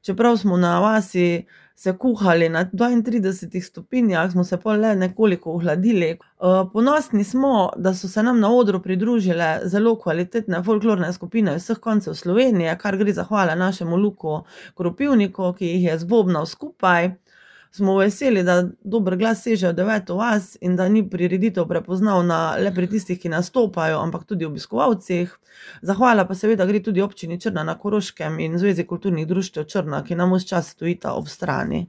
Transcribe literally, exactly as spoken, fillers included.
čeprav smo na vasi se kuhali na dvaintridesetih stopinjah, smo se pol le nekoliko ohladili. ponosni smo, da so se nam na odru pridružile zelo kvalitetne folklorne skupine iz vseh koncev Slovenije, kar gre zahvala našemu Luku Koropivniku, ki jih je zbobnal skupaj. Smo veseli, da dober glas seže v Deveto vas in da ni prireditev prepoznavna le pri tistih, ki nastopajo, ampak tudi obiskovalcih. Zahvala pa seveda gre tudi Občini Črna na Koroškem in Zvezi kulturnih društev Črna, ki nam ves čas stojita ob strani.